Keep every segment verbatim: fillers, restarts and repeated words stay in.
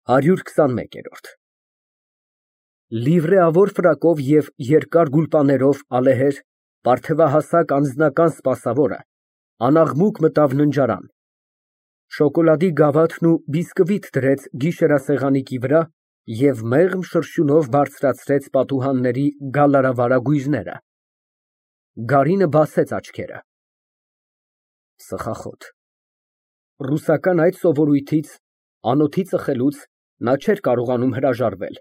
հարյուր քսանմեկ։ Լիվրեավոր ֆրակով և երկար գուլպաներով ալեհեր, պարթևահասակ անձնական սպասավորը անաղմուկ մտավ ննջարան, շոկոլադի գավաթն ու բիսկվիթ դրեց գիշերասեղանիկի վրա և մեղմ շրշյունով բարձրացրեց պատուհանների գալարավարագույրները։ Գարինը բացեց աչքերը։ Ծխախոտ։ Ռուսական այդ սովորույթից, անոթի ծխելուց նա չէր կարողանում հրաժարվել,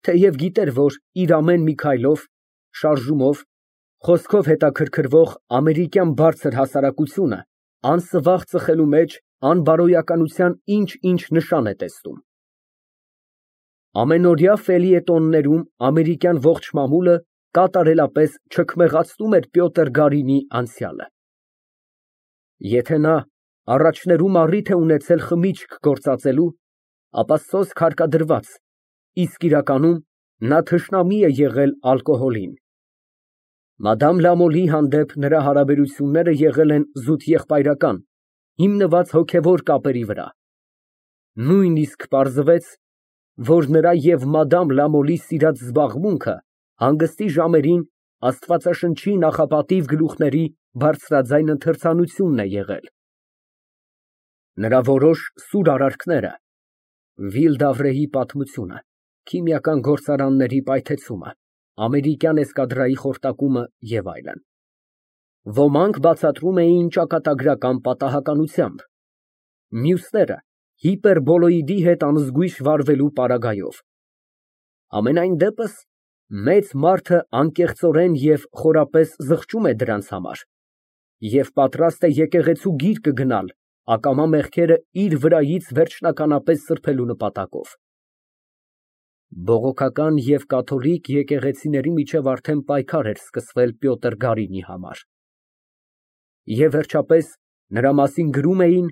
թեև գիտեր, որ իր ամեն մի քայլով, շարժումով, խոսքով հետաքրքրվող ամերիկյան բարձր հասարակությունը անսվաղ ծխելու մեջ անբարոյականության ինչ֊ինչ նշան է տեսնում։ Ամենօրյա ֆելիետոններում ամերիկյան ողջ մամուլը կատարելապես չքմեղացնում էր Պյոտր Գարինիի անցյալը։ Եթե նա առաջներում առիթ է ունեցել խմիչք գործածելու, ապա սոսկ հարկադրված, իսկ իրականում նա թշնամի է եղել ալկոհոլին։ Մադամ Լամոլի հանդեպ նրա հարաբերությունները եղել են զուտ եղբայրական, հիմնված հոգևոր կապերի վրա։ Նույնիսկ պարզվեց, որ նրա և մադամ Լամոլի սիրած զբաղմունքը հանգստի ժամերին աստվածաշնչի նախապատիվ գլուխների բարձրաձայն ընթերցանությունն է եղել։ Նրա որոշ սուր արարքները, Վիլ d'Ավրեի պատմությունը, քիմիական գործարանների պայթեցումը, ամերիկյան էսկադրայի խորտակումը և այլն, ոմանք բացատրում էին ճակատագրական պատահականությամբ, մյուսները հիպերբոլոիդի հետ անզգույշ վարվելու պարագայով։ Համենայն դեպս, մեծ մարդը անկեղծորեն և խորապես զղջում է դրանց համար և պատրաստ է եկեղեցու գիրկը գնալ ակամա մեղքերը իր վրայից վերջնականապես սրբելու նպատակով։ Բողոքական և կաթոլիկ եկեղեցիների միջև արդեն պայքար էր սկսվել Պյոտր Գարինիի համար։ Եվ վերջապես, նրա մասին գրում էին,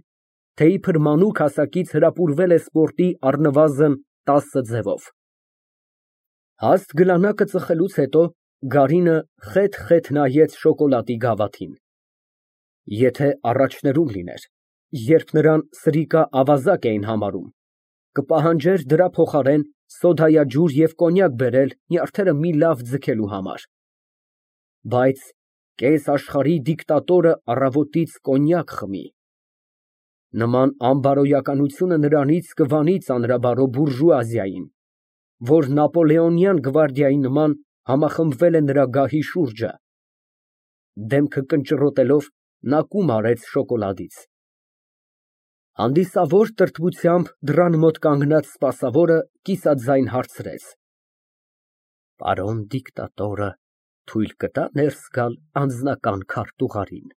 թե իբր մանուկ հասակից հրապուրվել է սպորտի առնվազն տասը ձևով։ Հաստ գլանակը ծխելուց հետո Գարինը խեթ֊խեթ նայեց շոկոլադի գավաթին։ Եթե առաջներում լիներ, երբ նրան սրիկա֊ավազակ էին համարում, կպահանջեր դրա փոխարեն սոդայաջուր և կոնյակ բերել նյարդերը մի լավ ձգելու համար։ Բայց կես աշխարհի դիկտատորը առավոտից կոնյակ խմի։ Նման անբարոյականությունը նրանից կվանի ծանրաբարո բուրժուազիային, որ նապոլեոնյան գվարդիայի նման համախմբվել է նրա գահի շուրջը։ Դեմքը կնճռոտելով նա կում արեց շոկոլադից։ Հանդիսավոր տրտմությամբ դռան մոտ կանգնած սպասավորը կիսաձայն հարցրեց. Պարոն դիկտատորը թույլ կտա՞ ներս գալ անձնական քարտուղարին։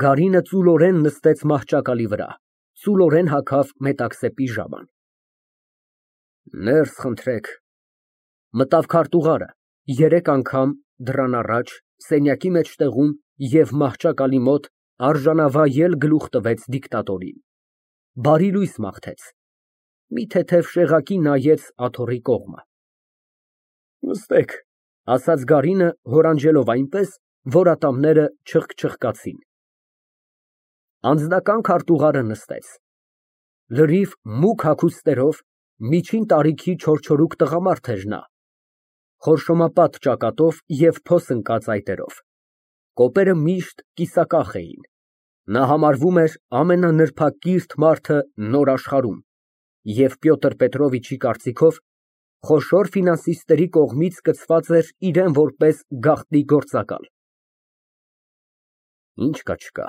Գարինը ծուլորեն նստեց մահճակալի վրա, ծուլորեն հագավ մետաքսե պիժաման։ Ներս խնդրեք։ Մտավ քարտուղարը, երեք անգամ, դռան առաջ, սենյակի մեջտեղում և մահճակալի մոտ արժանավայել գլուխ տվեց դիկտատորին, բարի լույս մաղթեց, մի թեթև շեղակի նայեց աթոռի կողմը։ Նստեք, ասաց Գարինը, հորանջելով այնպես, որ ատամները չխկչխկացին։ Անձնական քարտուղարը նստեց։ Լրիվ մուգ հագուստերով, միջին տարիքի չորչորուկ տղամարդ էր նա, խորշոմապատ ճակատով և փոս ընկած այտերով, կոպերը միշտ կիսակախ էին, նա համարվում էր ամենանրբակիրթ մարդը նոր աշխարհում և Պյոտր Պետրովիչի կարծիքով խոշոր ֆինանսիստերի կողմից կցված էր իրան որպես գաղտնի գործակալ։ Ինչ կա չկա,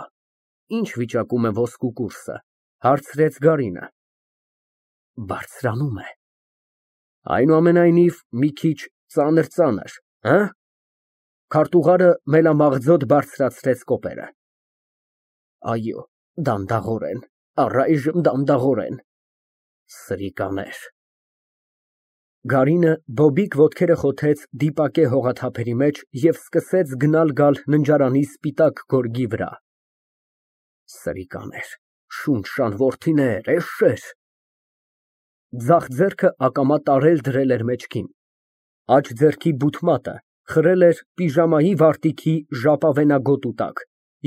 ինչ վիճակում է ոսկու կուրսը, հարցրեց Գարինը։ Բարձրանում է։ Այնուամենայնիվ, մի քիչ ծանր֊ծանր, հը՞։ Քարտուղարը մելամաղձոտ բարձրացրեց կոպերը։ Այո, դանդաղորեն, առայժմ դանդաղորեն։ Սրիկաներ։ Գարինը բոբիկ ոտքերը խոթեց դիպակե հողաթափերի մեջ և սկսեց գնալ֊գալ ննջարանի սպիտակ գորգի վրա։ Սրիկաներ, շունշան որդիներ, էշեր։ Ձախ ձեռքը ակամա տարել֊դրել էր մեջքին, աջ ձեռքի բութ մատը խրել էր պիժամայի վարտիքի ժապավենագոտու տակ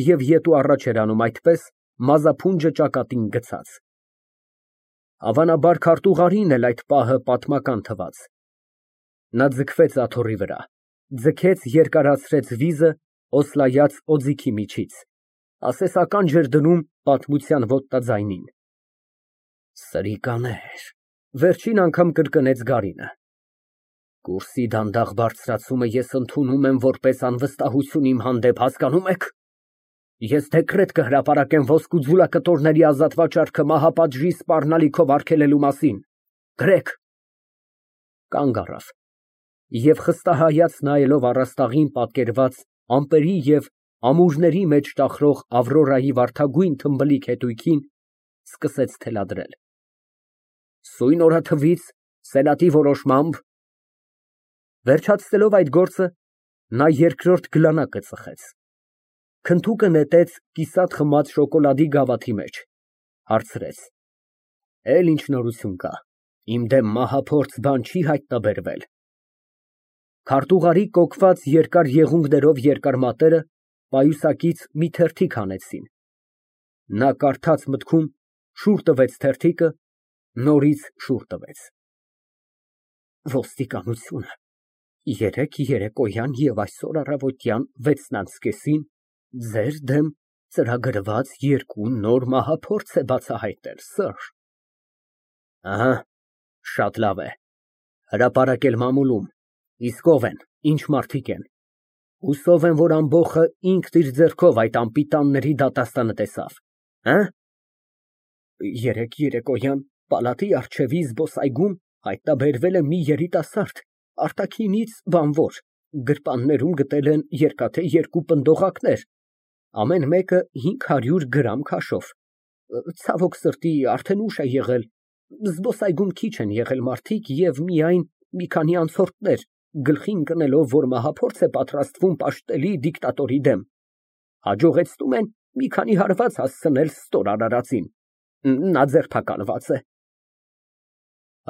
և ետու առաջ էր անում այդպես, մազափունջը ճակատին գցած։ Հավանաբար քարտուղարին էլ այդ պահը պատմական թվաց։ Նա ձգվեց աթոռի վրա, ձգեց երկարացրեց վիզը, օսլայած օձիքի միջից, ասեսական ջր դնում պատմության ոտնաձայնին։ Սրիկաներ, վերջին անգամ կրկնեց Գարինը։ Կուրսի դանդաղ բարձրացումը ես ընդունում եմ որպես անվստահություն իմ հանդեպ, հասկանում եք։ Ես դեկրետ կհրապարակեմ ոսկու ձուլակտորների ազատ վաճառքը մահապատժի սպառնալիքով արգելելու մասին։ Գրեք։ Կանգ առավ և խստահայաց նայելով առաստաղին պատկերված ամպերի և ամուրների մեջ ճախրող Ավրորայի վարդագույն թմբլիկ հետույքին, սկսեց թելադրել։ Սույն օրաթվից սենատի որոշմամբ… Վերջացնելով այդ գործը, նա երկրորդ գլանակը ծխեց, քնթուկը նետեց կիսատ խմած շոկոլադի գավաթի մեջ, հարցրեց. Էլ ինչ նորություն կա, իմ դեմ մահափորձ բան չի հայտնաբերվել։ Քարտուղարի կոկված երկար եղունգներով երկար մատները պայուսակից մի թերթիկ հանեցին։ Նա կարդաց մտքում, շուռ տվեց թերթիկը, նորից շուռ տվեց։ Ոստիկանությունը երեկ երեկոյան և այսօր առավոտյան վեցն անց կեսին ձեր դեմ ծրագրված երկու նոր մահափորձ է բացահայտել, սըր։ Ահա, շատ լավ է, հրապարակել մամուլում, իսկ ով են, ինչ մարդիկ են։ Հուսով եմ, որ ամբոխը ինքն իր ձեռքով այդ անպիտանների դատաստանը տեսավ, հը։ Երեկ երեկոյան պալատի առջևի զբոսայգում հայտնաբերվել է մի երիտասարդ, արտաքինից բանվոր, գրպաններում գտել են երկաթե երկու պնդողակներ, ամեն մեկը հինգ հարյուր գրամ քաշով։ Ցավոք սրտի, արդեն ուշ է եղել, զբոսայգում քիչ են եղել մարդիկ և միայն մի քանի անցորդներ, գլխի ընկնելով, որ մահափորձ է պատրաստվում պաշտելի դիկտատորի դեմ, հաջողեցնում են մի քանի հարված հասցնել ստոր արարածին, նա ձերբակալված է։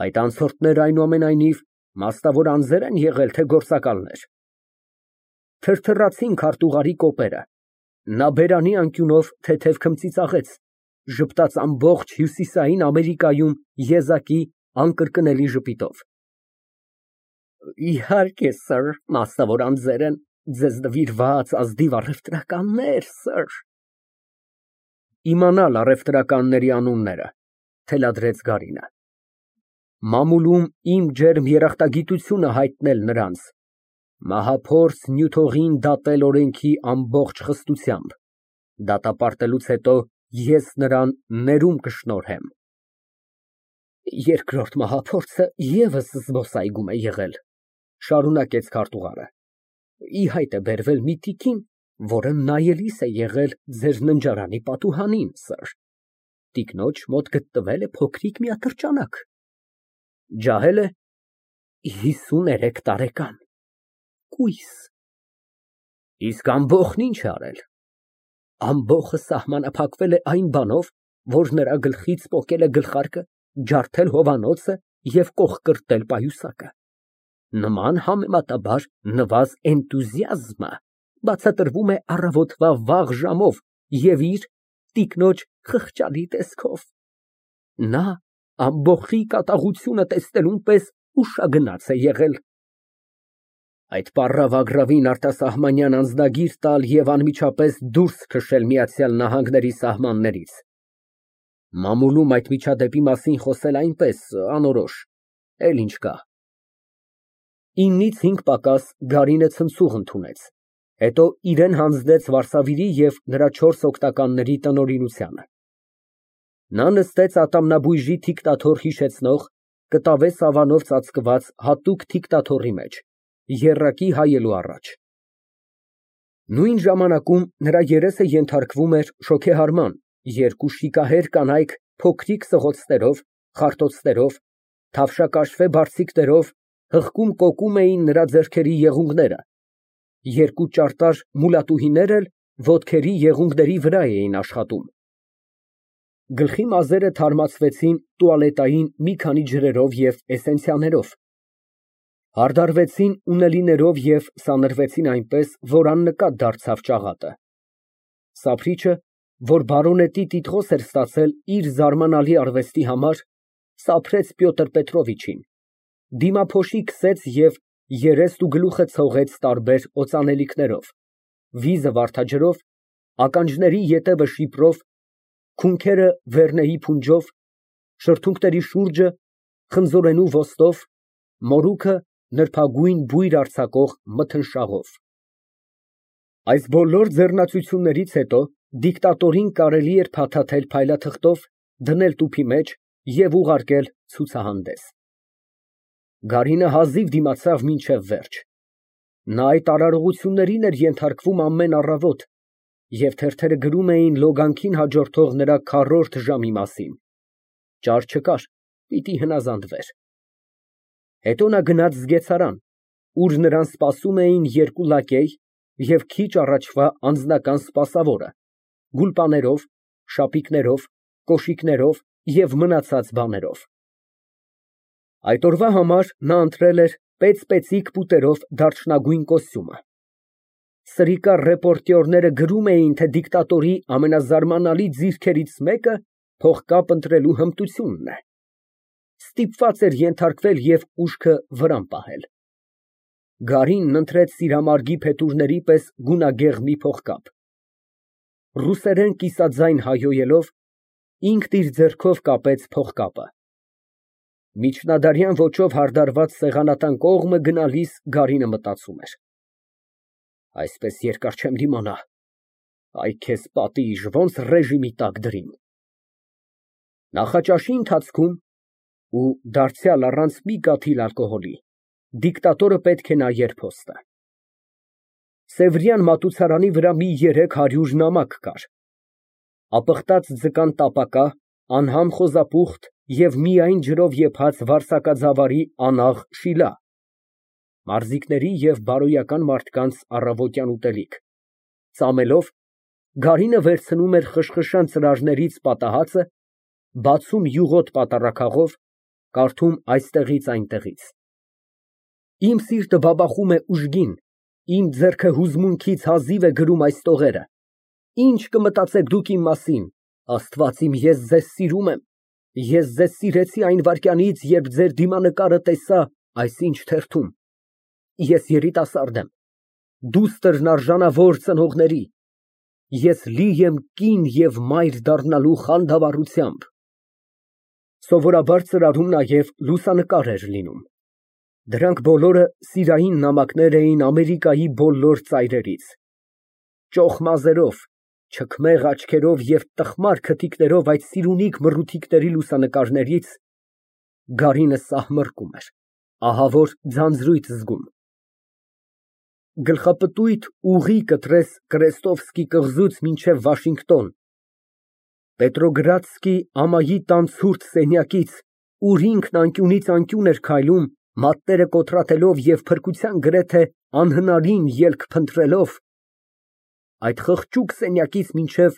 Այդ անցորդները այնուամենայնիվ մասնավոր անձեր են եղել, թե գործակալներ։ Թրթռացին քարտուղարի կոպերը, նա բերանի անկյունով թեթև քմծիծաղեց, ժպտաց ամբողջ Հյուսիսային Ամերիկայում եզակի անկրկնելի ժպիտով։ Իհարկե, սըր, մասնավոր անձեր են, ձեզ նվիրված ազնիվ առևտրականներ, սըր։ Իմանալ առևտրականների անունները, թելադրեց Գարինը։ Մամուլում իմ ջերմ երախտագիտությունը հայտնել նրանց, մահափորձ Նյութողին դատել օրենքի ամբողջ խստությամբ, դատապարտելուց հետո ես նրան ներում կշնորհեմ։ Երկրորդ մահափորձը ևս զբոսայգում է եղել, շարունակեց քարտուղարը, ի հայտ է բերվել մի տիկին, որը նայելիս է եղել ձեր ննջարանի պատուհանին, սըր, տիկնոջ մոտ գտնվել է փոքրիկ մի ատրճանակ, ջահել է հիսուներեք տարեկան, կույս։ Իսկ ամբոխն ինչ է արել։ Ամբոխը սահմանափակվել է այն բանով, որ նրա գլխից պոկել է գլխարկը, ջարդել հովանոցը և կողկրտել պայուսակը։ Նման համեմատաբար նվազ էնտուզիազմը բացատրվում է առավոտվա վաղ ժամով և իր տիկնոջ խղճալի տեսքով։ Նա ամբոխի կատաղությունը տեսնելուն պես ուշագնաց է եղել։ Այդ պառավագռավին արտասահմանյան անձնագիր տալ և անմիջապես դուրս քշել Միացյալ Նահանգների սահմաններից։ Մամուլում այդ միջադեպի մասին խոսել այնպես, անորոշ, էլ ինչ կա։ Իննից հինգ պակաս Գարինը ցնցուղ ընդունեց, հետո իրեն հանձնեց վարսավիրի և նրա չորս օգնականների տնօրինությանը։ Նա նստեց ատամնաբույժի թիկտաթոռ հիշեցնող, կտավե սավանով ծածկված հատուկ թիկտաթոռի մեջ, եռակի հայելու առաջ։ Նույն ժամանակում նրա երեսը ենթարկվում էր շոգեհարման, երկու շիկահեր կանայք փոքրիկ սղոցներով, խարտոցներով, թավշակաշվե բարձիկներով հղկում կոկում էին նրա ձեռքերի եղունգները, երկու ճարտար մուլատուհիներ էլ ոտքերի եղունգների վրա էին աշխատում։ Գլխի մազերը թարմացվեցին տուալետային մի քանի ջրերով և էսենցիաներով, հարդարվեցին ունելիներով և սանրվեցին այնպես, որ աննկատ դարձավ ճաղատը։ Սափրիչը, որ բարոնետի տիտղոս էր ստացել իր զարմանալի արվեստի համար, Սափրեց Պյոտր Պետրովիչին, դիմափոշի քսեց և երեստ ու գլուխը ցողեց տարբեր օծանելիքներով, վիզը վարդաջրով, ականջների ետևը շիպրով, քունքերը վերնեի փունջով, շրթունքների շուրջը խնձորենու ոստով, մորուքը նրբագույն բույր արձակող մթնշաղով։ Այս բոլոր ձեռնացություններից հետո դիկտատորին կարելի էր փաթաթել փայլաթղթով, դնել տուփի մեջ և ուղարկել ցուցահանդես։ Գարինը հազիվ դիմացավ մինչև վերջ։ Նա այդ արարողություններին էր ենթարկվում ամեն առավոտ, և թերթերը գրում էին լոգանքին հաջորդող նրա քառորդ ժամի մասին։ Ճար չկար, պիտի հնազանդվեր։ Հետո նա գնաց զգեցարան, ուր նրան սպասում էին երկու լակեյ և քիչ առաջվա անձնական սպասավորը՝ գուլպաներով, շապիկներով, կոշիկներով և մնացած բաներով։ Այդ օրվա համար նա ընտրել էր պեծ֊պեծիկ պուտերով դարչնագույն կոստյումը։ Սրիկա ռեպորտյորները գրում էին, թե դիկտատորի ամենազարմանալի ձիրքերից մեկը փողկապ ընտրելու հմտությունն է։ Ստիպված էր ենթարկվել և ուշքը վրան պահել։ Գարինն ընտրեց սիրամարգի փետուրների պես գունագեղ մի փողկապ։ Ռուսերեն կիսաձայն հայհոյելով, ինքն իր ձեռքով կապեց փողկապը։ Միջնադարյան ոճով հարդարված սեղանատան կողմը գնալիս Գարինը մտածում էր. «Այսպես երկար չեմ դիմանա, այ քեզ պատիժ, ոնց ռեժիմի տակ դրին»։ Նախաճաշի ընթացքում (ու դարձյալ առանց մի կաթիլ ալկոհոլի) դիկտատորը պետք է նայեր փոստը։ Սևրյան մատուցարանի վրա մի երեք հարյուր նամակ կար, ապխտած ձկան տապակա, անհամ խոզապուխտ և միայն ջրով եփած վարսակաձավարի անաղ շիլա, մարզիկների և բարոյական մարդկանց առավոտյան ուտելիք։ Ծամելով, Գարինը վերցնում էր խշխշան ծրարներից պատահածը, բացում յուղոտ պատառաքաղով, կարդում այստեղից այնտեղից։ Իմ սիրտը բաբախում է ուժգին, իմ ձեռքը հուզմունքից հազիվ է գրում այս տողերը։ Ինչ կմտածեք դուք իմ մասին, Աստված իմ, ես ձեզ սիրում եմ, ես ձեզ սիրեցի այն վայրկյանից, երբ ձեր դիմանկարը տեսա այսինչ թերթում։ Ես երիտասարդ եմ, դուստր արժանավոր ծնողների, ես լի եմ կին և մայր դառնալու խանդավառությամբ։ (Սովորաբար ծրարում նաև լուսանկար էր լինում։ Դրանք բոլորը սիրային նամակներ էին Ամերիկայի բոլոր ծայրերից։ Ճոխ մազերով, չքմեղ աչքերով և տխմար քթիկներով այդ սիրունիկ մռութիքների լուսանկարներից Գարինը սահմռկում էր, ահավոր ձանձրույթ զգում)։ Գլխապտույտ ուղի կտրես Կրեստովսկի կղզուց մինչև Վաշինգտոն, Պետրոգրադսկի ամայի տան ցուրտ սենյակից, ուր ինքն անկյունից անկյուն էր քայլում, մատները կոտրատելով և փրկության գրեթե անհնարին ելք փնտրելով, այդ խղճուկ սենյակից մինչև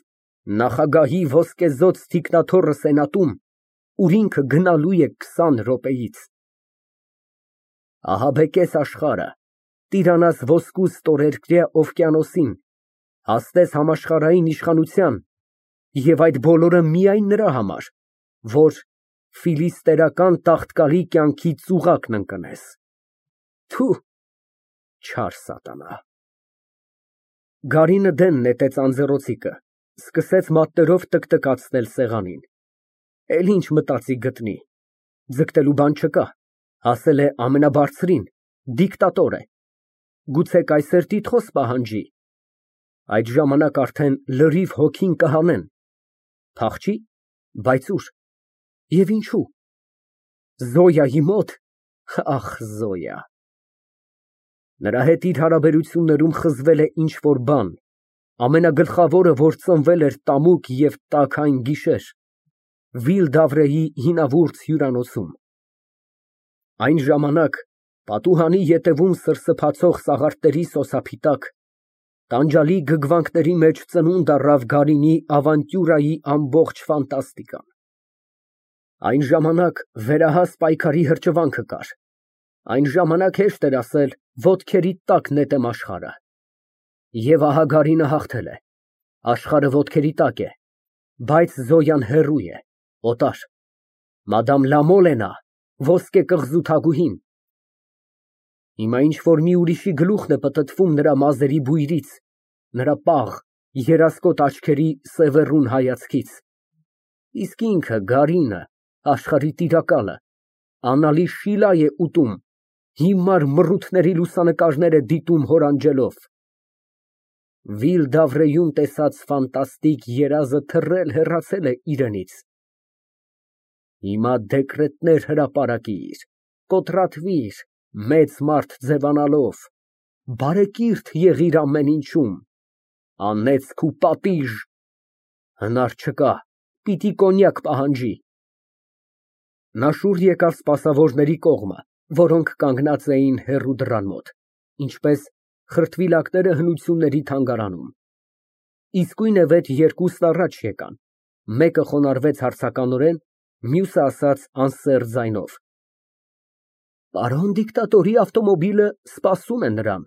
նախագահի ոսկեզօծ թիկնաթոռը սենատում, ուր ինքը գնալու է քսան րոպեից։ Ահաբեկես աշխարհը, տիրանաս ոսկու ստորերկրյա օվկիանոսին, հասնես համաշխարհային իշխանության, և այդ բոլորը միայն նրա համար, որ ֆիլիստերական տաղտկալի կյանքի ծուղակն ընկնես։ Թո՛ւ, չար սատանա։ Գարինը դեն նետեց անձեռնոցիկը, սկսեց մատներով տկտկացնել սեղանին։ Էլ ինչ մտածի գտնի, ձգտելու բան չկա, հասել է ամենաբարձրին, դիկտատոր է, գուցե կայսեր տիտղոս պահանջի, այդ ժամանակ արդեն լրիվ հոգին կհանեն, փախչի, բայց ու՞ր և ինչո՞ւ։ Զոյայի մոտ, ախ, Զոյա։ Նրա հետ իր հարաբերություններում խզվել է ինչ֊որ բան, ամենագլխավորը, որ ծնվել էր տամուկ և տաքայն գիշեր, Վիլ֊դավրեի հինավուրց հյուրանոցում։ Այն ժամանակ, պատուհանի ետևում սրսփացող սաղարթների սոսափի տակ, տանջալի գգվանքների մեջ ծնունդ առավ Գարինի ավանտյուրայի ամբողջ ֆանտաստիկան։ Այն ժամանակ վերահաս պայքարի հրճվանքը կար, այն ժամանակ հեշտ էր ասել ոտքերի տակ նետեմ աշխարհը։ Եվ ահա Գարինը հաղթել է, աշխարհը ոտքերի տակ է, բայց Զոյան հեռու է, օտար։ Մադամ Լամոլ է նա, ոսկե կղզու թագուհին։ Հիմա ինչ֊որ մի ուրիշի գլուխն է պտտվում նրա մազերի բույրից, նրա պաղ, երասկոտ աչքերի սևեռուն հայացքից, իսկ ինքը, գարինը, աշխարհի տիրակալը, անալի Շիլա է ուտում, հիմար մռութների լուսանկարներ է դիտում հոր անջելով։ Վիլ֊Դավրեում տեսած ֆանտաստիկ երազը թռել հեռացել է իրենից։ Հիմա դեկրետներ հրապարակիր, կոտրատվիր, մեծ մարդ ձևանալով, բարեկիրթ եղիր ամեն ինչում, անեծք ու պատիժ, հնար չկա, պիտի կոնյակ պահանջի։ Նա շուռ եկավ սպասավորների կողմը, որոնք կանգնած էին հեռու դռան մոտ, ինչպես խրտվիլակները հնությունների թանգարանում։ Իսկույնևեթ երկուսն առաջ եկան, մեկը խոնարհվեց հարցականորեն, մյուսը ասաց անսեռ ձայնով. Պարոն դիկտատորի ավտոմոբիլը սպասում է նրան։